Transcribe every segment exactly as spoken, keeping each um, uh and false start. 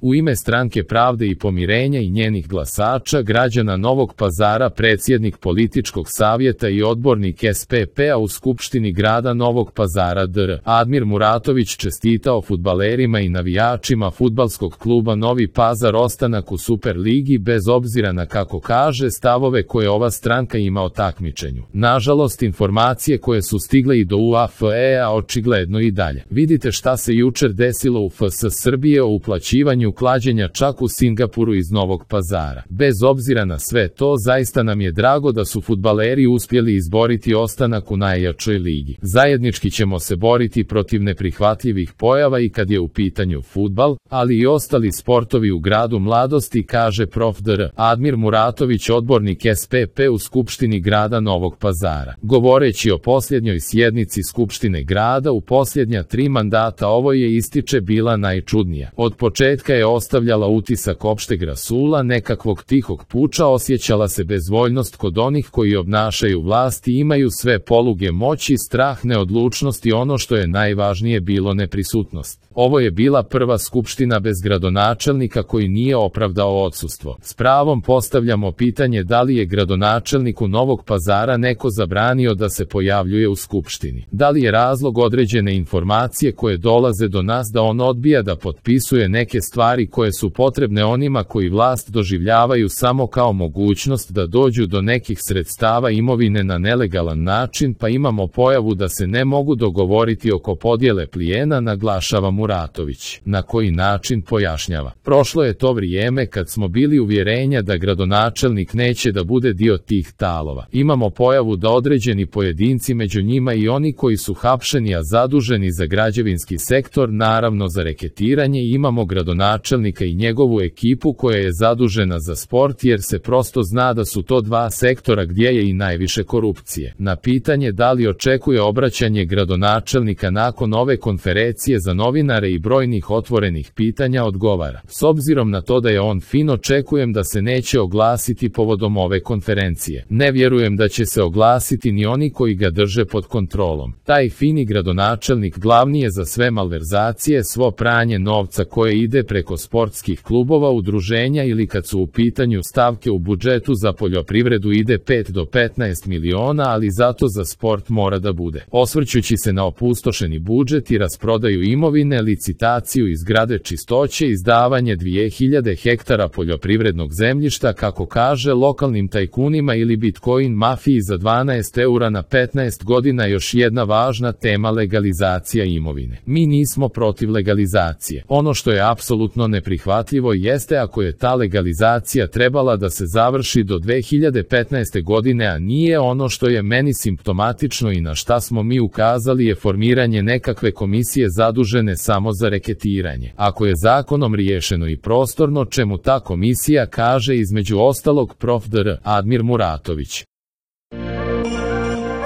U ime Stranke pravde i pomirenja i njenih glasača, građana Novog Pazara, predsjednik političkog savjeta i odbornik S P P-a u Skupštini grada Novog Pazara dr Admir Muratović čestitao fudbalerima i navijačima fudbalskog kluba Novi Pazar ostanak u Superligi bez obzira na, kako kaže, stavove koje ova stranka ima o takmičenju. Nažalost, informacije koje su stigle i do U A F E-a očigledno i dalje. Vidite šta se jučer desilo u F S Srbije o uplaćivanju klađenja čak u Singapuru iz Novog Pazara. Bez obzira na sve to, zaista nam je drago da su fudbaleri uspjeli izboriti ostanak u najjačoj ligi. Zajednički ćemo se boriti protiv neprihvatljivih pojava i kad je u pitanju fudbal, ali i ostali sportovi u gradu mladosti, kaže prof dr Admir Muratović, odbornik S P P u Skupštini grada Novog Pazara. Govoreći o posljednjoj sjednici Skupštine grada u posljednja tri mandata, ovo je, ističe, bila najčudnija. Od početka je ostavljala utisak opšteg rasula, nekakvog tihog puča, osjećala se bezvoljnost kod onih koji obnašaju vlast i imaju sve poluge moći, strah, neodlučnost i ono što je najvažnije bilo neprisutnost. Ovo je bila prva skupština bez gradonačelnika koji nije opravdao odsustvo. S pravom postavljamo pitanje da li je gradonačelniku Novog Pazara neko zabranio da se pojavljuje u skupštini. Da li je razlog određene informacije koje dolaze do nas da on odbija da potpisuje neke stvari koje su potrebne onima koji vlast doživljavaju samo kao mogućnost da dođu do nekih sredstava imovine na nelegalan način, pa imamo pojavu da se ne mogu dogovoriti oko podjele plijena, naglašava Muratović. Na koji način, pojašnjava. Prošlo je to vrijeme kad smo bili uvjerenja da gradonačelnik neće da bude dio tih talova. Imamo pojavu da određeni pojedinci, među njima i oni koji su hapšeni a zaduženi za građevinski sektor, naravno za reketiranje, i imamo gradonačelnika i njegovu ekipu koja je zadužena za sport, jer se prosto zna da su to dva sektora gdje je i najviše korupcije. Na pitanje da li očekuje obraćanje gradonačelnika nakon ove konferencije za novinare i brojnih otvorenih pitanja, odgovara: s obzirom na to da je on fin, očekujem da se neće oglasiti povodom ove konferencije. Ne vjerujem da će se oglasiti ni oni koji ga drže pod kontrolom. Taj fini gradonačelnik glavni je za sve malverzacije, svo pranje novca koje ide preko sportskih klubova, udruženja ili kad su u pitanju stavke u budžetu za poljoprivredu ide pet do petnaest miliona, ali zato za sport mora da bude. Osvrćući se na opustošeni budžet i rasprodaju imovine, licitaciju izgrade čistoće, izdavanje dvije hiljade hektara poljoprivrednog zemljišta, kako kaže, lokalnim tajkunima ili Bitcoin mafiji za dvanaest eura na petnaest godina, još jedna važna tema: legalizacija imovine. Mi nismo protiv legalizacije. Ono što je apsolutno neprihvatljivo jeste ako je ta legalizacija trebala da se završi do dve hiljade petnaeste godine, a nije. Ono što je meni simptomatično i na šta smo mi ukazali je formiranje nekakve komisije zadužene samo za reketiranje. Ako je zakonom riješeno i prostorno, čemu ta komisija, kaže između ostalog prof dr Admir Muratović.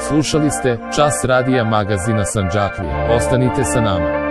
Slušali ste Čas radija magazina Sandžaklija. Ostanite sa nama.